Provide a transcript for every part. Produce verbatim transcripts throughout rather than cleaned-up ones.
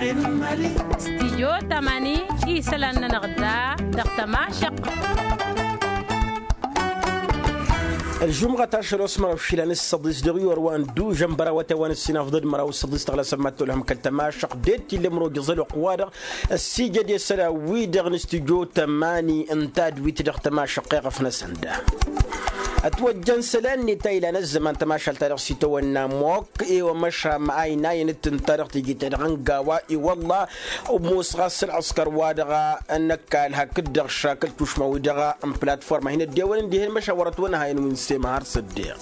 Stijyo tamani isălan-nănăɣ da dăɣ-tămašăq. Ălžumɣăt ašăl osmăr ašăl anǝssăḍis dăɣ-iwăr wa n-dužăn bărawăt i-wa n-ǝssin afḍăd măraw ǝssăḍis tăɣlasăn ma t-olhăm kăl-tămašăq de t-illăm rogăẓăl oqq-wa-dăɣ ăssiijăd i-isălan-wi-dăɣ n-stijyo tamani n-tadwit dăɣ-tămašăq iɣăf-năsăn da. Ătwăjjăn isălan-net a ilan ăzzăman tămašalt-ta-dăɣ s-itawănna mok i-wa măšam a inayăn d-tǝnta dăɣ-teje-ta-dăɣ n-gawa i-wălla. Ămoos ɣas ălɣǝskăr-wa-dăɣ n-ăkall hakd-dăɣ šakăl tušma-wi-dăɣ n-platform a hin-ăddewăn ǝndihen măšawăr ătwănhayăn wi n-sema har s-ăddeɣ.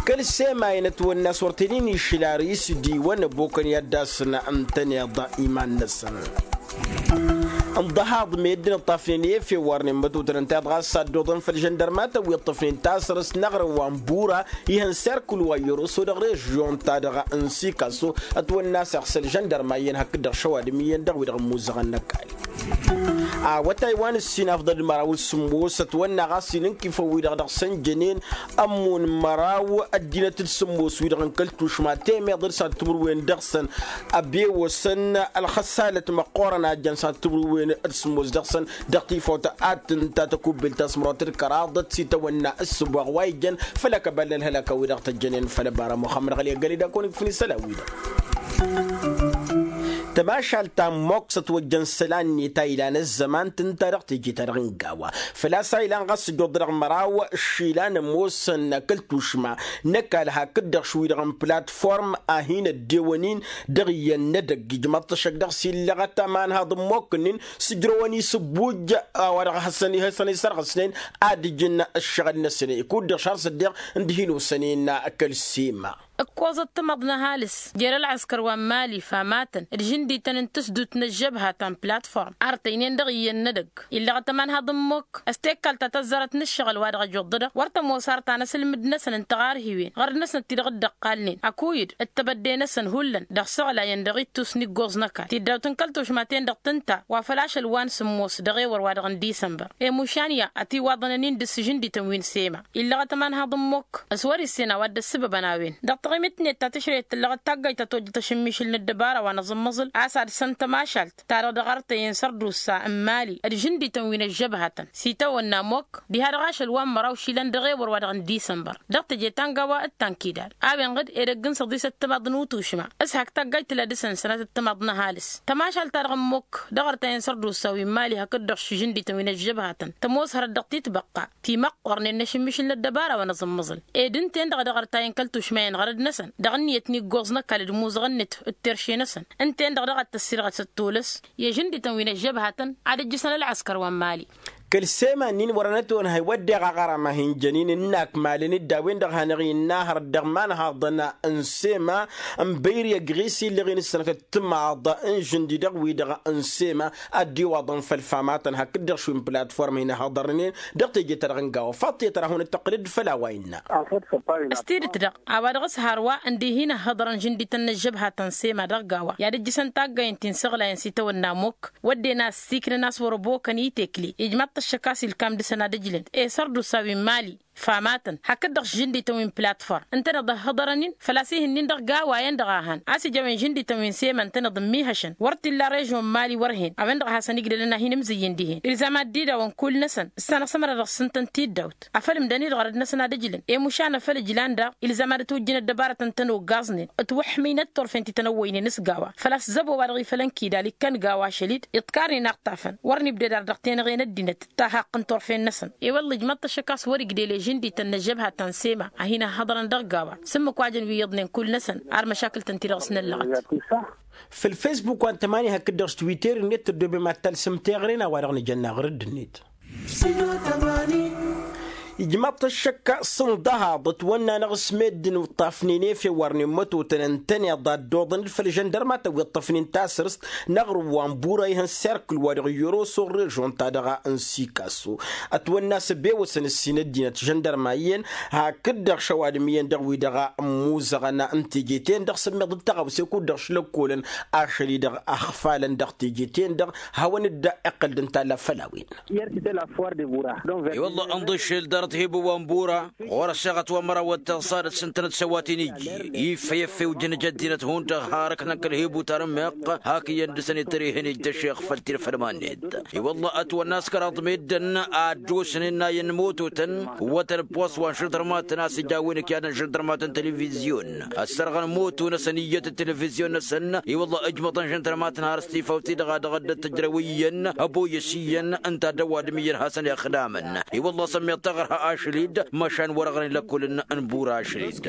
Kăl-sema-in ătwănna s-wăr t-inin išla ris d-iwăn ăbokăn i-ad-dd-asǝn ǝntăneḍ iman-năsăn. Ǝnḍăhaḍ meddǝn ǝṭṭafnen i-efew warnen mătotăn ǝnta iḍ ɣas s-ad-dd-oḍăn făll-žăndărmatăn wi ǝṭṭăfnen tasărǝst n-aɣrǝm wa n-bura ihăn serkǝl wa i-oroso dăɣ-režyon-ta-dăɣ n-sikaso. Ătwănna s-eɣsăl žăndărma iyyăn hakd-dăɣ šăwadǝm iyyăn dăɣ-wi-dăɣ ămmuzzăɣăn n-ăkall. Awătay wa n-ǝssin afḍăl d-măraw d-sǝmmos ătwănna ɣas inkifăn-wi-dăɣ dăɣ-săn jănen ămmun măraw ăddinăt d-sǝmmos wi-dăɣ n-kăl-tušma temeḍ d-s ad-timǝrwen dăɣ-săn. Ăbewăsăn ălxăsalăt măqqoorăn a jăn s-ad-timǝrwen d-sǝmmos dăɣ-săn dăɣ-tifawt ad-tǝnta tăkubbelt ta s-mărwăt d-kăraḍăt s-itawănna ǝssǝboɣ wa ijăn făll-akăbal n-ălhălăka-wi-dăɣ tăjjănen făll-ăbara muxămmăd ɣăli ăgg-ălidakon ikfǝn isălan-wi-dăɣ. Tămašalt ta n-moks ătwăjjăn isălan-net a ilan ăzzăman tǝnta dăɣ-teje-ta-dăɣ n-gawa. Făl-a-s a ilan ɣas ǝjjuḍ dăɣ-măraw išilan ămoosăn kăl-tušma n-ăkall hakd-dăɣ š-wi-dăɣ n-platform a hin-ăddewăn-in dăɣ-iyyăn n-edăgg ijmăḍ-t ăššăk dăɣ-s illăɣăt amanhaḍ n-mokk-nin s-ǝjrăwăn isǝbbuj. A-wa-dăɣ hasăn-ihăsăn isărɣǝsnen ad-ǝjǝn ǝššăɣǝl-năsăn ikud-dăɣ šar s-ăddeɣ n-dihin osănen kăl-sima. Ǝkkoẓăt tamăḍt n-ăhalǝs jer-ălɣǝskăr wa n-mali famatăn d-žǝndităn n-tǝsdut n-ăžžăbha ta n-platform artăynen dăɣ-iyyăn n-edăgg illăɣăt ămanhaḍ n-mokk. S-tekkalt ta tăzzarăt n-ǝššăɣǝl wa dăɣ-ăjoḍădăɣ wăr tămoos ar ta n-asǝlmǝd-năsăn n-tiɣarhiwen ɣărd-năsnăt ti-dăɣ dd-ăqqalnen ăkuyǝd d-tebădde-năsăn hullan dăɣ-isăɣlayăn dăɣ-ittus n-iggoẓ n-ăkall tiddawt n-kăl-tušma-ten-dăɣ tǝnta wa făl ašăl wa n-sǝmmos dăɣ-ewăr wa dăɣ-n disănbăr. Emušan ya ătiwaḍăn ănnin dăɣ-s žǝndităn wi n-sema illăɣăt ămanhaḍ n-mokk s-wăr-issen a-wa dd-ăssǝbăbăn a-wen. Dăɣ-taɣimit-net ta tǝšrăyăt tǝllăɣăt taggayt ta tojjăt ašǝmmišǝl n-ăddăbara wa n-aẓǝmmăẓǝl a-s ad-săn tămašalt ta-dăɣ dăɣ-artăyăn sărdusa n-mali d-žǝndităn wi n-ăžžăbhatăn s-itawănna mokk diha-dăɣ ašăl wa n-măraw išilan dăɣ-ewăr wa dăɣ-n disănbăr. Dăɣ-teje ta n-gawa d-ta n-kidal a-wen ɣǝd edăgg n-săḍisăt timaḍ n-utušma s-hak taggayt tǝla dăɣ-săn sănatăt timaḍ n-ăhalǝs. Tămašalt-ta-dăɣ n-mokk dăɣ-artăyăn sărdusa wi n-mali hakd-dăɣ šǝžǝndităn wi n-ăžžăbhatăn tămoos hărăt dăɣ-titbăqqa timăqqornen n-ašǝmmišǝl n-ăddăbara wa n-aẓǝmmăẓǝl. Ed ǝnta-en-dăɣ a dăɣ-artayăn kăl-tušma-en ɣărăd-năsăn dăɣ-ǝnniyăt n-iggoẓ n-ăkall d-imuzăɣăn-net d-terše-năsăn. Ǝnta-en-dăɣ daɣ ad-tăssirɣăt s-ăttolăs i-žǝndităn wi n-ăžžăbhatăn ad-ǝjjǝsăn ălɣăskăr wa n-mali. Kăl-sema-nin wăren ătonhăy wădden aɣarăm a hin-jănen ǝnn'-ak malăn-dd a-wen-dăɣ hanăɣ-innă hărăt dăɣ-imanhaḍăn n-sema n-băyri ăgg ɣis illăɣ-in ǝssănătăt timaḍ n-žǝndi dăɣ-wi-dăɣ n-sema ad-dd-iwaḍăn făll-famatăn hakd-dăɣ šund platform hin-ăhhăḍărnen dăɣ-teje-ta-dăɣ n-gawa faḍt i-tăra hunăt-tăqqǝlăd făll-a-wa innă. S-tidǝt-dăɣ a-wa dăɣ-s hărwa ǝndihi n-ăhhăḍărăn žǝndităn n-ăžžăbhatăn sema dăɣ-gawa i-ad-ǝjjǝsăn taggayăn ti n-săɣlayăn s-itawănna mokk wădden a ăssiiknăn a-s wăr-ăbokăn itekle ijmaḍ-t ăššăk a-s ilkam dăɣ-săn ad-ǝjlăn i-sărdusa wi n-mali. Famatăn hakd-dăɣ žǝndităn wi n-platform ǝntăneḍ ăhhăḍărăn-in făl-a-s ih'-ǝnnin dăɣ-gawa-en-dăɣ a hăn a-s ijawăn žǝndităn wi n-sema ǝntăneḍ ǝmmihăšăn wăr t-illa režyon n-mali wăr hen a-wen-dăɣ a hasăn-igdălăn a hin-imzǝyyǝn dihen ilzam ad-dd-idawăn kull-năsăn s-anăɣ-sămăra dăɣ-sǝntăn tiddawt. Afăl ǝmdăn-i-dăɣ ărăd-năsăn ad-ǝjlăn i-mušan afăl ǝjlan daɣ ilzam ad-ătwǝjjǝn ăddăbarătăn tănogaẓnen ǝtwăḥmǝynăt turfen ti tăn-ăwwăynen s-gawa făl-a-s zăbo wa dăɣ-ifălăn kidal ikkăn gawa ašăl-dd iḍkarnen aɣtafăn wăr nibded ar dăɣ-tenăɣe n-ăddinăt d-tahaqqǝn turfen-năsăn. I-wălla ijmăḍ-t ăššăk a-s wăr-igdel i-žǝndităn n-ăžžăbhatăn sema a hin-ăhhăḍărăn dăɣ-gawa s-ǝmmǝk wa jăn wi iyyăḍnen kull-năsăn ar măšakǝl-tăn-ti-dăɣ s-năllăɣăt. Făll-fesbuk wa n-tămani hakd-dăɣ s-twitter-net tăddoobem ad-talsǝm teɣăre n-a-wa-dăɣ nǝjănna ɣur-dd-net. Ijmaḍ-t ăššăk s-ǝnḍăhaḍ ătwănna-năɣ s-meddǝn ǝṭṭafnen efew wărnen mătotăn ǝntăneḍ ad-dd-oḍăn-dd făll-žăndărmatăn wi ǝṭṭăfnen tasărǝst n-aɣrǝm wa n-bura ihăn serkǝl wa dăɣ-iyyăr oso n-režon-ta-dăɣ n-sikaso. Ătwănna a-s ăbewăsăn ǝssin ăddinăt žăndărma iyyăn hakd-dăɣ šăwadǝm iyyăn dăɣ-wi-dăɣ ămmuzăɣăn n-teje-ten-dăɣ s-ămmiḍ d-tăɣawse kud-dăɣ šlăkkolăn ašăl-i-dăɣ ăxfalăn dăɣ-teje-ten-dăɣ. Hawăn-dd-iqqăl d-ǝntalla făll-a-wen. I-wălla ănḍǝššel dar. Tihibǝw wa n-bura ɣur-ăṣṣeɣăt wa n-măraw wăr tăẓẓadăt s-ǝntănăt s-ăwat-in-ijji. Iffăy ăffew jăn ija ăddinăt hundăɣ har ǝknăn kăl-hibut ar ǝmmeɣ hak iyyăn dăr-săn ittăr ihăn ijj dăššeɣ făll-tirfăl ma-net. I-wălla ătwănna a-s kăraḍ meddǝn a ăddosnen n-ayǝn mototăn wătăn ăppost wa n-žăndărmatăn a-s ija a-wen ǝkyaḍăn žăndărmatăn televizyon ăssărɣăn moto-năsăn iyyăt d-televizyon-năsăn. I-wălla ǝjmăḍăn žăndărmatăn har s-tifawt-i-dăɣ a dăɣ-dd-tǝjrăw iyyăn ăboyăs iyyăn ǝnta d-ăwadǝm iyyăn hasăn-ixdamăn. I-wălla s-ămmiḍt taɣărha ašăl-dd măšan wăr-ăɣrăn ilăkkolăn n-bura ašăl-dd.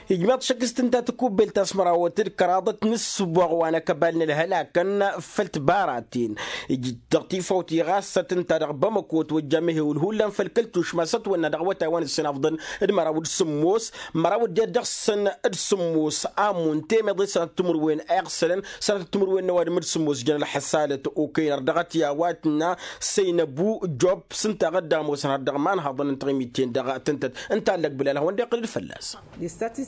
Ijmeḍ šăkk s-tǝnta tikubbelt ta s-mărawăt d-kăraḍăt n-ǝssǝboɣ wa n-akăbal n-ălhălakăn făll-tibaraten. Ij-dăɣ tifawt-i ɣas s-tǝnta dăɣ-bamăko ătwăjja amehewǝl hullan făll-kăl-tušma s-ătwănna dăɣ-awătay wa n-ǝssin afḍăn d-măraw d-sǝmmos măraw d-dăɣ-săn d-sǝmmos amun temeḍe sănatăt timǝrwen a iɣsălăn sănatăt timǝrwen n-ăwadǝm d-sǝmmos jăn ălḥăsalăt okăynăr dăɣ-t i-a-wa tǝnna săynăbu job s-ǝnta a ɣǝdda ămoosăn har dăɣ-imanhaḍăn n-tiɣimit-ten dăɣ-tǝntăt ǝnta allăg bǝlal hawăn-dd-iqqǝl d-fălla-s.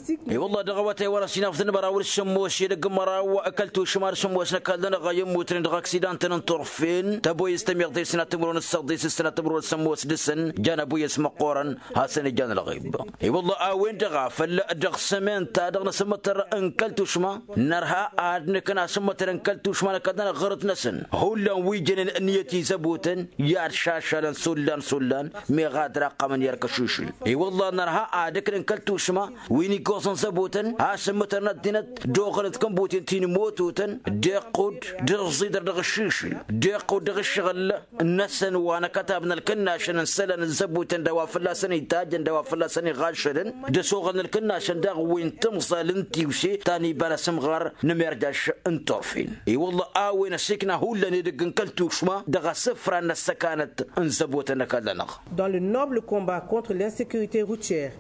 I-wălla dăɣ-awătay wa n-ăsinafḍăn măraw d-sǝmmos edăgg n-măraw kăl-tušma d-sǝmmos n-ăkall-nănăɣ a immutnen dăɣ-aksidantăn n-turfen tăboyăs tămiḍe sănatăt timǝrwen d-săḍis s-sănatăt timǝrwen d-sămmos dăɣ-săn jan ăboyăs măqqoorăn hasăn-ijan ălɣib. I-wălla a-wen-dăɣ a făl dăɣ-sămen-ta-dăɣ n-asǝmmătăr n-kăl-tušma nărha ad-nǝkna asǝmmătăr n-kăl-tušma n-ăkall-nănăɣ ɣărăt-năsăn hullan wi jănen ǝnniyăt izăbotăn i-ad-šašalăn s-ollan s-ollan meɣ ad-raqqămăn i-erk ăšišǝl. I-wălla nărha ad-ǝknăn kăl-tušma wi n-iggoẓăn zăbotăn a-s ǝmmǝtărăn ăddinăt d-oɣălăt kănbuten ti n-imototăn d-iqqud d-ǝẓẓidăr dăɣ-ăššišǝl d-iqqud dăɣ-ǝššăɣǝl-năsăn wa n-akătab n-ălkǝnnašăn n-isălan n-zăbotăn d-a-wa fălla-săn itajjăn d-a-wa fălla-săn iɣaššălăn d-ăsoɣăl n-ălkǝnnašăn daɣ wi n-timẓal n-tiwse ta n-iba n-asǝmɣar n-emerjaš n-turfen. I-wălla a-wen ăsikna hullan edăgg n-kăl-tušma dăɣ-asǝfra n-ăssăkanăt n-zăbotăn n-ăkall-nănăɣ. Dans le noble combat contre l'insécurité routière.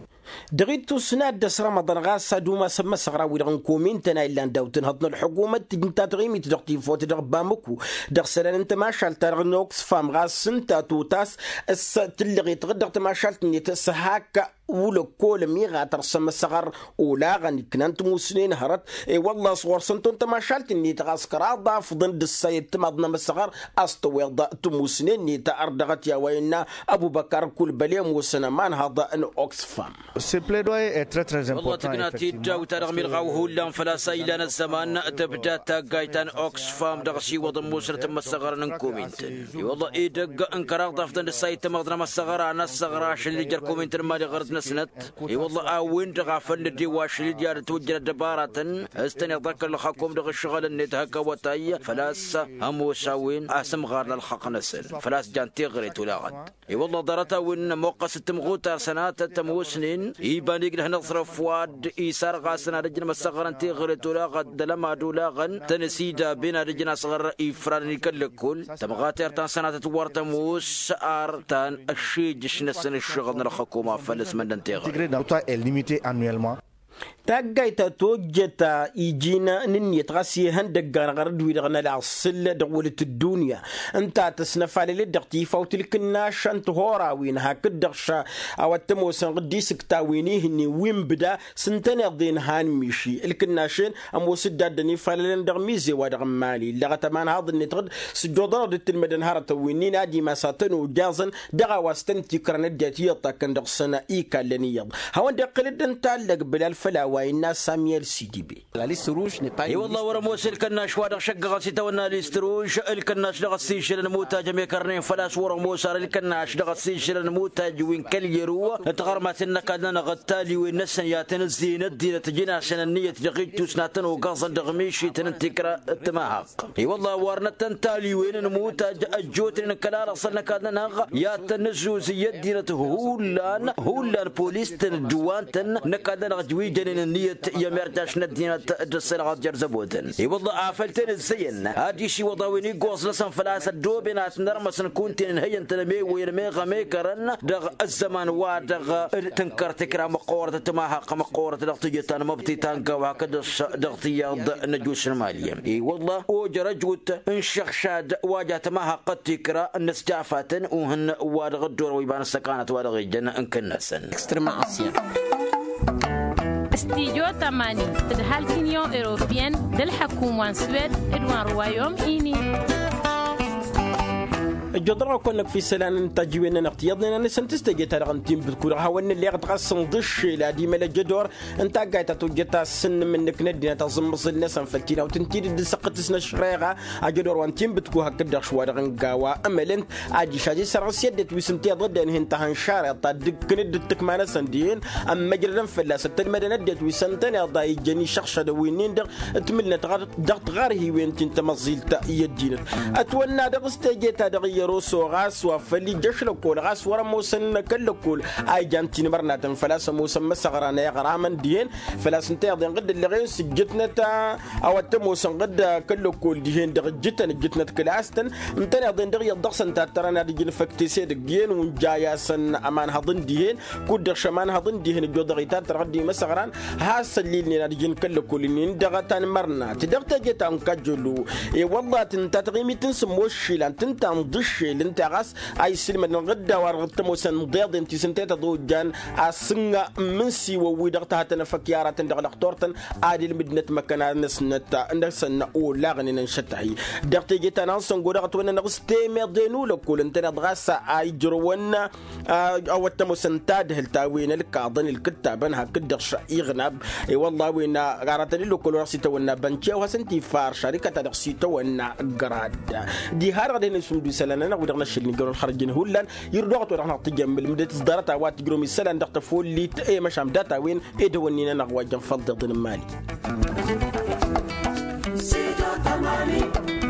Dăɣ-ittus n-ad-dăɣ-s rămăḍăn ɣas ad-umasăn imăsăɣra-wi-dăɣ n-komintăn a illan daw-tǝnhăḍ n-ălḥukumăt tǝjǝn ta taɣimit dăɣ-tifot dăɣ-bamăku dăɣ-isălan n-tamašalt-ta-dăɣ n-oksfam ɣas ǝnta totas s-tǝllăɣet ɣǝd dăɣ-tamašalt-net s-hak wăr-ăkkolăm iɣatăr s-ămăsăɣăr olaɣăn iknan timusnen hărăt. I-wălla a-s ɣur-săn ton tamašalt-net ɣas kăraḍ afḍăn d-ǝssa i-ăttămaḍ n-amăsăɣăr a-s tăweḍ timusnen-net ărdăɣăt i-a-wa innă ăbubăkar kulbăl i-ămoosăn ămanhăḍ n-oksfam. Wălla tǝkna tiddawt-ta-dăɣ milɣaw hullan făl-a-s a ilan ăzzăman tǝbda taggayt ta n-oksfam dăɣ-asiwăḍ ămoosnăt n-imăssăɣărăn n-komintăn. I-wălla edăgg n-kăraḍ afḍăn d-ǝssa i-ăttămaḍ n-amăssăɣăr a n-ăssăɣra ašăl n-ija ălkomintăn n-imali ɣărăt-năsnăt. I-wălla a-wen dăɣ-a făl nǝddew ašăl-dd i-ad-ătwăjjăn ăddăbaratăn s-tăn-iḍăkkăl ălxakum dăɣ-ǝššăɣǝl-net hak awătay făl-a-s ămoos a-wen a-s ǝmɣarăn ălxaqq-năsăn făl-a-s jan teɣăre tolaɣăt. I-wălla ḍarăt-a-wen ămoqqăs d-timɣutar sănatăt ămoosnen iba n-iglăh n-aẓrǝf wa d-isarɣasăn ad-ăjjăn măssăɣărăn teɣăre tolaɣăt d-alămad olaɣăn tăn-ăsidaben ad-ăjjăn asɣăr ifranăn i-kăl-lăkkol. Tămɣatert ta n-sănatăt wăr tămoos ar ta n-ăššejăš-năsăn ǝššăɣǝl n-ălxăkum a făl ăsmăndăn teɣăre. Taggayt ta tojjăt iji n-ǝnniyăt ɣas ihăndăggan ɣărăt-wi-dăɣ n-ălaṣṣǝl dăɣ-wălăt ăddunya ǝnta a tăsnăfalălet dăɣ-tifawt ǝlkǝnnašăn tihorawen hakd-dăɣ ša a-wa t-ămoosăn ɣǝddis ǝktawen ihǝnnin wi n-bǝda s-ǝntăneḍ-en han miši ǝlkǝnnaš-en ămoos-dd a dd-ănifalălăn dăɣ-mize wa dăɣ-n imali illăɣăt ămanhaḍ-net ɣǝd s-dd-oḍănăɣ dd-tǝlmădăn hărătăn wi-nin ad-imas a tăn-ojaẓăn dăɣ-a-wa s-tăn-tikrăn ăddinăt iyyăḍ ta kăn-dăɣ-săn ikallăn iyyăḍ. Hawăn-dd-iqqǝl-dd ǝnta allăg bǝlal făll-a-wa innă samiyel sidibe. I-wălla wăr-ămoos ǝlkănnaš wa dăɣ-šăggăɣăn s-itawănna list ruž ǝlkănnaš dăɣ-ăssižălăn mutaj ămekărnen făl-a-s wăr-ămoos ar ǝlkănnaš dăɣ-ăssižălăn mutaj wi n-kăl-yăru. Tiɣărmaten n-ăkall-nănăɣ d-taliwen-năsăn i-ad-tăn-ǝzzeyăn ăddinăt ǝjǝn-asăn ǝnniyăt dăɣ-ittus n-ad-tăn-ogăẓăn dăɣ-mišităn n-tikră d-timahaq. I-wălla wărnăt-tăn taliwen n-mutaj ăjjootnen kăla lăɣsăl n-ăkall-nănăɣ i-ad-tăn-nǝzzuzǝy ăddinăt hullan hullan polis-tăn d-wa n-tăn n-ăkall-nănăɣ ǝjwǝjănen ǝnniyăt i-ămirtaš n-ăddinăt d-ăssălăɣăt jer-zăbotăn. I-wălla a făl tăn-ǝzzăyăn ad-išǝwwăḍ a-wen iggoẓ-năsăn făl-a-s ăddooben ad-tăn-ărmăsăn kunta-en ǝnhăyăn-tăn ămewăyăn ămeɣ ămekărăn dăɣ-ăzzăman wa dăɣ-tǝnkăr tikra măqqoorăt timahaq măqqoorăt dăɣ-tijǝt ta n-măbti ta n-gaw hakd-dăɣ-s dăɣ-tiyyăḍ n-ăjus n-imali. I-wălla ojăr ăjut n-išăɣšad wa ja timahaq d-tikra n-inǝsjafatăn uhǝn wa dăɣ-ăddoorăn wi ba n-ăssăkanăt wa dăɣ-ijăn n-kănnasăn. Studyo tămani tǝdhal t-inyon europeyăn d-ălḥăkum wa n-swed d-wa n-ruwayom ini. Ăjjoḍăr-ɣ-kăwăn-năkf isălan n-tajiwen-nănăɣ tiyyăḍnen-anăsăn tǝstăje-ta-dăɣ n-tinbǝt kud-dăɣ hawăn-nǝlleɣ dăɣ-asǝnḍǝššel ad-imăl ejădor n-taggayt ta tojjăt a-s ǝnnǝm-nǝk n-ăddinăt aẓǝmmăẓǝl-năsăn făll-tinawt n-tidǝt d-săqqǝt s-năšreɣa. Ajădor wa n-tinbǝt ku hakd-dăɣ šwa-dăɣ n-gawa ămălăn ad-išaj isărɣǝs i-ăddinăt wi s-ǝnta iḍădden hin-tahănšarăt ta dd-kăn-dd dd-tǝkma-năsăn dihen ămmăjrădăn fălla-s ăttălmădăn ăddinăt wi s-ăntăneḍ a ijjăn išăɣšădăn wi-nin-dăɣ. Ǝtmǝlnăt ɣar-dăɣ tiɣarhiwen ti n-tamăẓẓilt i-ăddinăt ătwănna dăɣ-s teje-ta-dăɣ iyyăr oso ɣas wa făl ija ăšlăkkol ɣas wăr-ămoosăn kăl-lăkkol a ijan tinmărnatăn făl-a-s ămoosăn măsăɣra n-eɣramăn dihen. Făl-a-s ǝnta iḍen ɣǝdd ǝllăɣen s-ǝjjǝtnăt a-wa t-ămoosăn ɣǝdd kăl-lăkkol dihen-dăɣ ǝjjǝtăn ǝjjǝtnăt kǝlas-tăn. Ǝntăneḍ-en dăɣ-iyyăḍ dăɣ-săn tattărăn ad-ǝjǝn făk tese dăgg-iyyăn wa n-jay-asăn ămanhăḍ n-dihen kud-dăɣ šămanhăḍ n-dihen ăjjoḍăɣ itattăr ɣǝdd imăsăɣran. Has-ăllilnen ad-ǝjǝn kăl-lăkkol-nin-dăɣ a tanmărnat dăɣ-teje ta n-kajjălu. I-wălla tǝnta taɣimit n-sǝmmos išilan tǝnta n-iḍǝššel ǝnta ɣas a isǝlmădăn ɣǝdda wa dăɣ-t ămoosăn iḍeḍen ti s-ǝnta i-tăḍojjan asǝnga n-imǝnsiwăn-wi-dăɣ tăhătăn efăk i-aratăn dăɣ-lăxtur-tăn ad-ilmǝdnăt imăkăna-năsnăt. Năsăn olaɣnen ănšăt-ahi dăɣ-teje ta n-ansăngo dăɣ-ătwănnănăɣ s-temeḍe n-ulăkkol ǝntăneḍ ɣas a ijrăwăn a-wa t-ămoosăn tadhǝlt a-wen ălkaḍăn ilkǝttabăn hakd-dăɣ iɣnab. I-wălla a-wen aratăn ilăkkol wa dăɣ-s itawănna bănce a-wa hasăn-t-ifa ăr šarikăt a dăɣ-s itawănna grad. Diha-dăɣ ad-hin-isǝmdu isălan-nănăɣ wi-dăɣ n-ašăl n-ijrăwăn ălxărăj n-ihullan. Irdăɣăt wa dăɣ-năɣ tǝjjăn mǝlmǝdet s-ḍarăt a-wa tǝjrăwăm isălan dăɣ-tăfolit i-măšan data a-wen ed hawăn-in-anăɣ wa jăn făll-tiḍǝn n-imali. Sido tamani.